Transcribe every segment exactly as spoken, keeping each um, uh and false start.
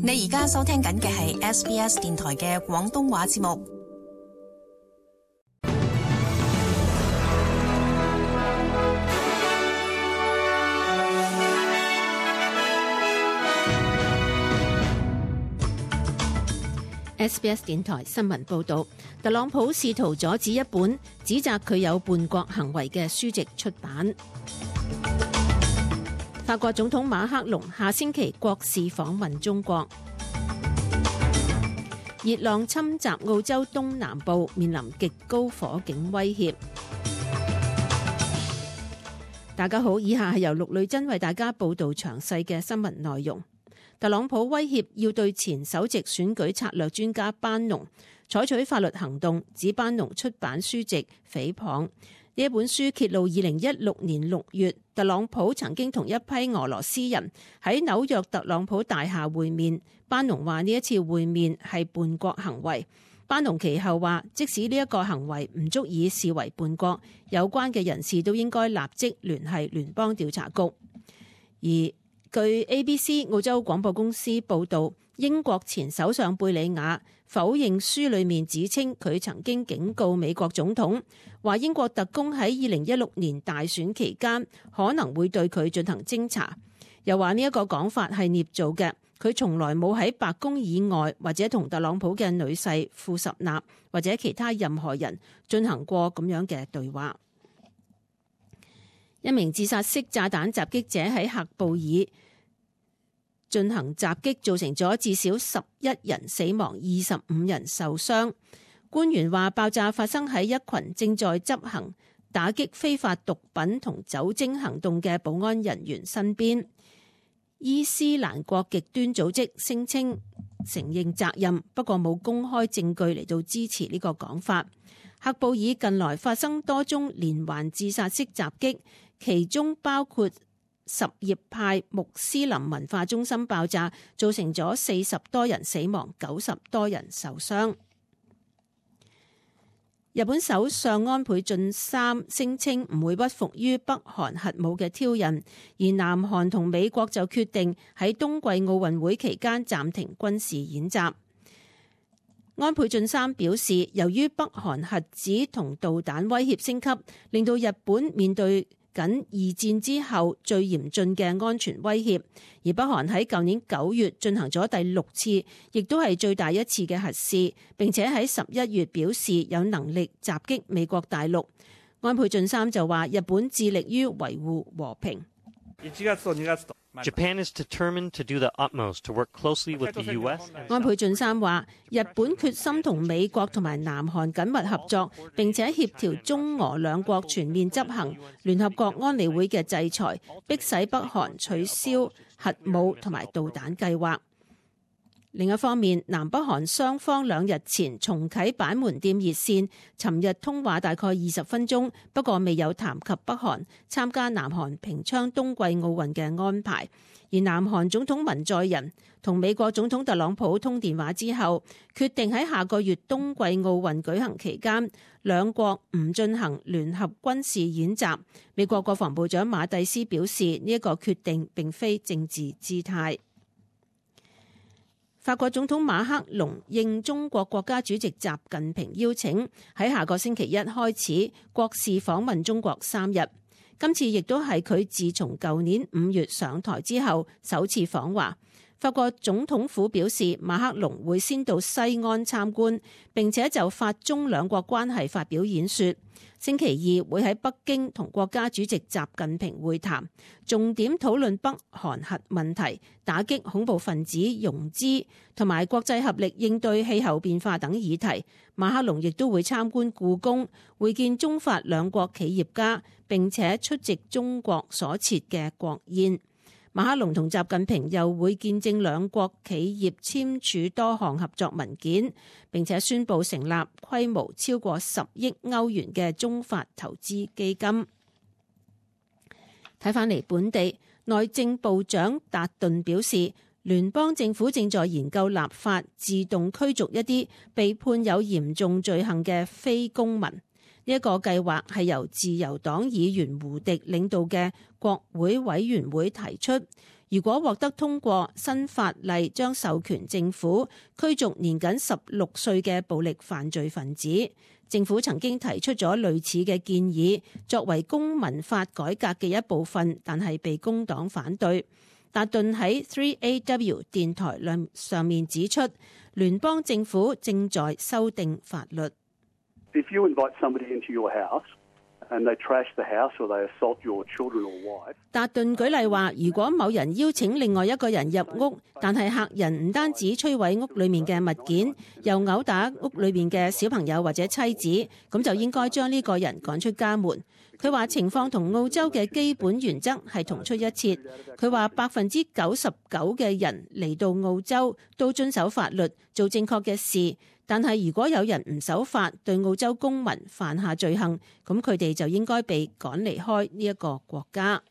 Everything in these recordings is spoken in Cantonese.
你而家收聽緊嘅係 S B S 電台嘅廣東話節目。S B S 電台新聞報道，特朗普試圖阻止一本指責佢有叛國行為嘅書籍出版。法國總統馬克龍下星期國事訪問中國。熱浪侵襲澳洲東南部，面臨極高火警威脅。大家好，以下係由陸女珍為大家報道詳細嘅新聞內容。特朗普威脅要對前首席選舉策略專家班農採取法律行動，指班農出版書籍誹謗。呢一本書揭露二零一六年六月，特朗普曾經同一批俄羅斯人喺紐約特朗普大廈會面。班農話呢一次會面係叛國行為。班農其後話，即使呢一個行為唔足以視為叛國，有關嘅人士都應該立即聯繫聯邦調查局。而據 A B C 澳洲廣播公司報導，英國前首相貝理雅否認書裡面指稱佢曾經警告美國總統，話英國特工喺二零一六年大選期間可能會對佢進行偵查，又話呢一個講法係捏造嘅，佢從來冇喺白宮以外或者同特朗普嘅女婿庫什納或者其他任何人進行過咁樣嘅對話。一名自殺式炸彈襲擊者喺喀布爾進行襲擊，造成咗至少十一人死亡，二十五人受傷。官員話爆炸發生喺一群正在執行打擊非法毒品同酒精行動嘅保安人員身邊。伊斯蘭國極端組織聲稱承認責任，不過冇公開證據嚟到支持呢個講法。喀布爾近來發生多宗連環自殺式襲擊，其中包括什葉派穆斯林文化中心爆炸，造成咗四十多人死亡，九十多人受傷。日本首相安倍晉三聲稱唔會屈服於北韓核武嘅挑釁，而南韓同美國就決定喺冬季奧運會期間暫停軍事演習。安倍晉三表示，由於北韓核子同導彈威脅升級，令到日本面對緊二戰之後最嚴峻嘅安全威脅，而北韓喺舊年九月進行咗第六次，亦都係最大一次嘅核試，並且喺十一月表示有能力襲擊美國大陸。安倍晉三就話，日本致力於維護和平。Japan is determined to do the utmost to work closely with the U S. 安倍晉三話，日本決心同美國同埋南韓緊密合作，並且協調中俄兩國全面執行聯合國安理會嘅制裁，迫使北韓取消核武同埋導彈計劃。另一方面，南北韓雙方兩日前重啟板門店熱線，尋日通話大概二十分鐘，不過未有談及北韓參加南韓平昌冬季奧運嘅安排。而南韓總統文在寅同美國總統特朗普通電話之後，決定喺下個月冬季奧運舉行期間，兩國唔進行聯合軍事演習。美國國防部長馬蒂斯表示，呢一個決定並非政治姿態。法國總統馬克龍應中國國家主席習近平邀請，喺下個星期一開始國事訪問中國三日。今次亦都係佢自從舊年五月上台之後首次訪華。法國總統府表示，馬克龍會先到西安參觀，並且就法中兩國關係發表演說。星期二會喺北京同國家主席習近平會談，重點討論北韓核問題、打擊恐怖分子融資同埋國際合力應對氣候變化等議題。馬克龍亦都會參觀故宮，會見中法兩國企業家，並且出席中國所設嘅國宴。馬克龍同習近平又會見證兩國企業簽署多項合作文件，並且宣布成立規模超過十億歐元嘅中法投資基金。睇返嚟本地，內政部長達頓表示，聯邦政府正在研究立法自動驅逐一啲被判有嚴重罪行嘅非公民。呢一個計劃係由自由黨議員胡迪領導嘅國會委員會提出，如果獲得通過，新法例將授權政府驅逐年僅十六歲嘅暴力犯罪分子。政府曾經提出咗類似嘅建議，作為公民法改革嘅一部分，但係被工黨反對。達頓喺 三 A W 電台上面指出，聯邦政府正在修訂法律。If you invite somebody into your house, and they trash the house or they assault your children or wife. 達頓舉例話，如果某人邀請另外一個人入屋，但係客人唔單止摧毀屋裏面嘅物件，又毆打屋裏面嘅小朋友或者妻子，咁就應該將呢個人趕出家門。佢話情況同澳洲嘅基本原則係同出一轍。佢話百分之九十九嘅人嚟到澳洲都遵守法律，做正確嘅事。但係如果有人唔守法，對澳洲公民犯下罪行，咁佢哋就應該被趕離開呢一個國家。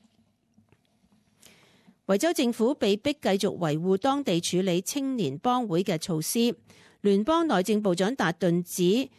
維州政府被逼繼續維護當地處理青年幫會嘅措施。聯邦內政部長達頓指，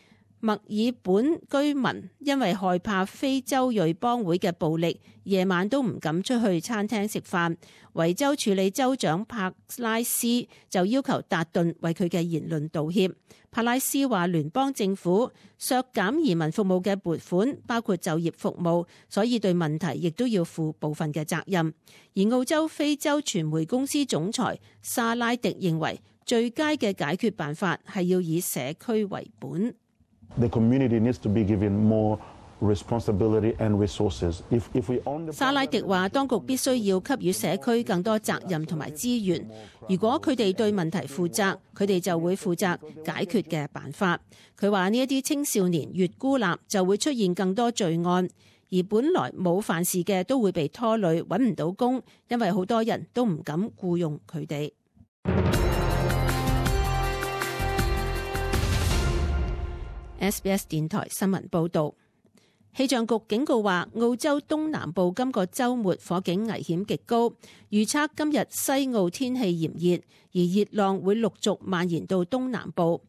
墨爾本居民因為害怕非洲裔幫會嘅暴力，夜晚都唔敢出去餐廳食飯。維州處理州長帕拉斯就要求達頓為佢嘅言論道歉。帕拉斯話聯邦政府削減移民服務嘅撥款，包括就業服務，所以對問題亦都要負部分嘅責任。而澳洲非洲傳媒公司總裁沙拉迪認為，最佳嘅解決辦法係要以社區為本。The community needs to be given more responsibility and resources. If, if we own the... 沙拉迪話，當局必須要給予社區更多責任同埋資源。如果佢哋對問題負責，佢哋就會負責解決嘅辦法。佢話呢一啲青少年越孤立，就會出現更多罪案，而本來冇犯事嘅都會被拖累，揾唔到工，因為好多人都唔敢僱用佢哋。S B S 電台新聞報導，氣象局警告話，澳洲東南部今個週末火警危險極高，預測今日西澳天氣炎熱，而熱浪會陸續蔓延到東南部。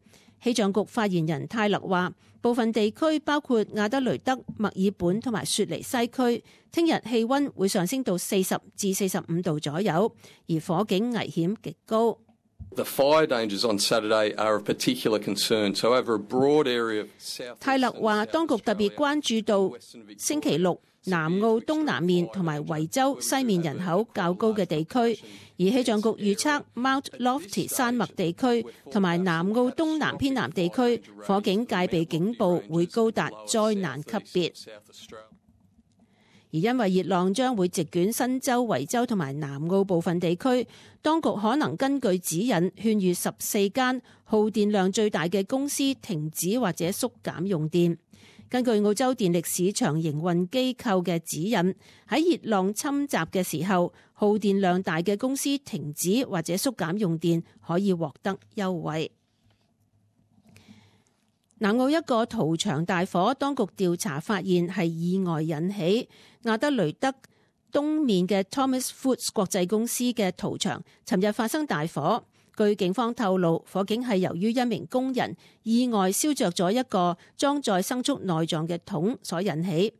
氣象局發言人泰勒話，部分地區包括亞德雷德、墨爾本同埋雪梨西區，聽日氣溫會上升到四十至四十五度左右，而火警危險極高。The fire dangers on Saturday are of particular concern. So over a broad area of south. 泰勒話，當局特別關注到星期六南澳東南面同埋維州西面人口較高嘅地區，而氣象局預測 Mount Lofty 山脈地區同埋南澳東南偏南地區火警戒備警報會高達災難級別。而因為熱浪將會席捲新州、維州同埋南澳部分地區，當局可能根據指引勸喻十四間耗電量最大嘅公司停止或者縮減用電。根據澳洲電力市場營運機構嘅指引，喺熱浪侵襲嘅時候，耗電量大嘅公司停止或者縮減用電可以獲得優惠。南澳一個屠場大火，當局調查發現係意外引起。亞德雷德東面嘅 Thomas Foods 國際公司嘅屠場，尋日發生大火。據警方透露，火警係由於一名工人意外燒着咗一個裝載牲畜內臟嘅桶所引起。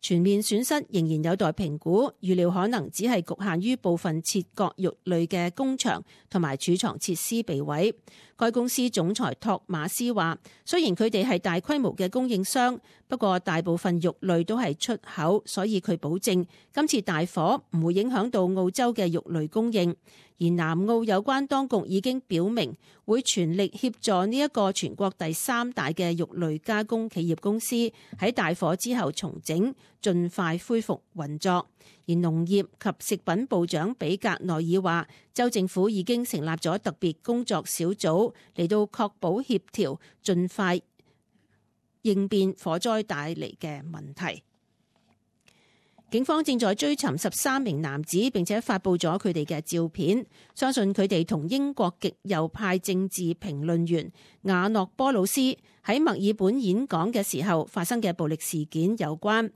全面損失仍然有待評估，預料可能只係局限於部分切割肉類嘅工場同埋儲藏設施被毀。該公司總裁托馬斯話，雖然佢哋係大規模嘅供應商，不過大部分肉類都係出口，所以佢保證今次大火唔會影響到澳洲嘅肉類供應。而南澳有關當局已經表明會全力協助呢一個全國第三大嘅肉類加工企業公司喺大火之後重整，盡快恢復運作。而農業及食品部長比格內爾話，州政府已經成立咗特別工作小組嚟到確保協調，盡快應變火災帶嚟嘅問題。警方正在追尋十三名男子，並且發布咗佢哋嘅照片，相信佢哋同英國極右派政治評論員亞諾波魯斯喺墨爾本演講嘅時候發生嘅暴力事件有關。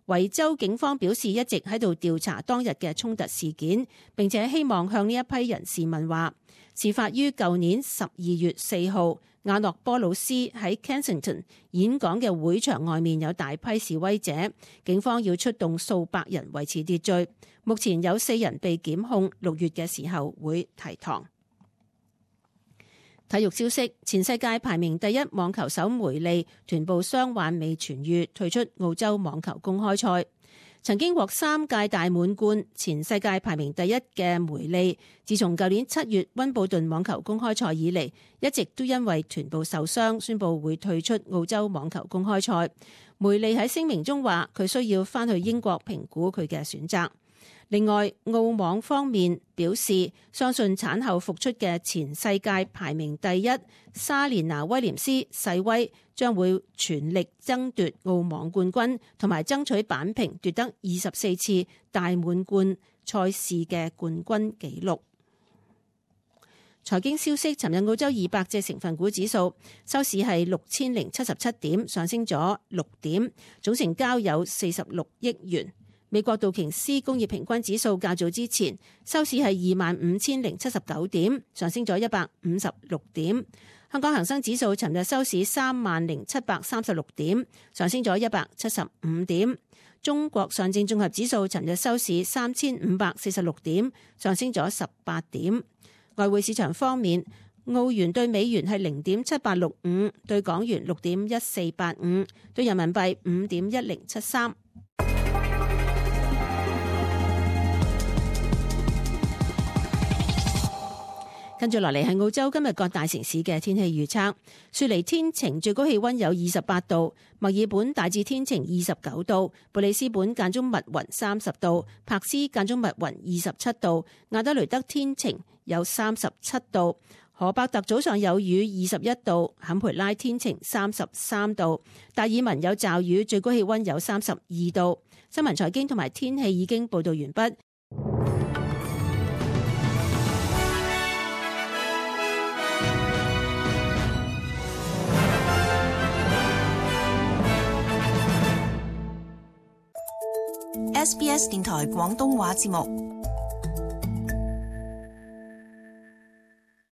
維州警方表示一直喺度調查當日嘅衝突事件，並且希望向呢一批人士問話。事發於舊年十二月四號，亞諾波魯斯喺 Kensington 演講嘅會場外面有大批示威者，警方要出動數百人維持秩序。目前有四人被檢控，六月嘅時候會提堂。體育消息：前世界排名第一網球手梅利臀部傷患未痊癒，退出澳洲網球公開賽。曾經獲三屆大滿貫、前世界排名第一嘅梅利，自從舊年七月溫布頓網球公開賽以嚟，一直都因為臀部受傷，宣布會退出澳洲網球公開賽。梅利喺聲明中話，佢需要返去英國評估佢嘅選擇。另外，澳網方面表示，相信產後復出嘅前世界排名第一莎蓮娜威廉斯細威將會全力爭奪澳網冠軍，同埋爭取扳平奪得二十四次大滿貫賽事嘅冠軍紀錄。財經消息：尋日澳洲二百隻成分股指數收市係六千零七十七點，上升咗六點，總成交有四十六億元。美國道瓊斯工業平均指數較早之前收市係二萬五千零七十九點，上升咗一百五十六點。香港恒生指數尋日收市三萬零七百三十六點，上升咗一百七十五點。中國上證綜合指數尋日收市三千五百四十六點，上升咗十八點。外匯市場方面，澳元對美元係零點七八六五，對港元六點一四八五，對人民幣五點一零七三。跟住落嚟係澳洲今日各大城市嘅天氣預測。雪梨天晴，最高氣溫有二十八度；墨爾本大致天晴，二十九度；布里斯本間中密雲，三十度；柏斯間中密雲，二十七度；亞德雷德天晴，有三十七度；荷伯特早上有雨，二十一度；坎培拉天晴，三十三度；達爾文有驟雨，最高氣溫有三十二度。新聞財經同埋天氣已經報道完畢。S B S 電台廣東話節目。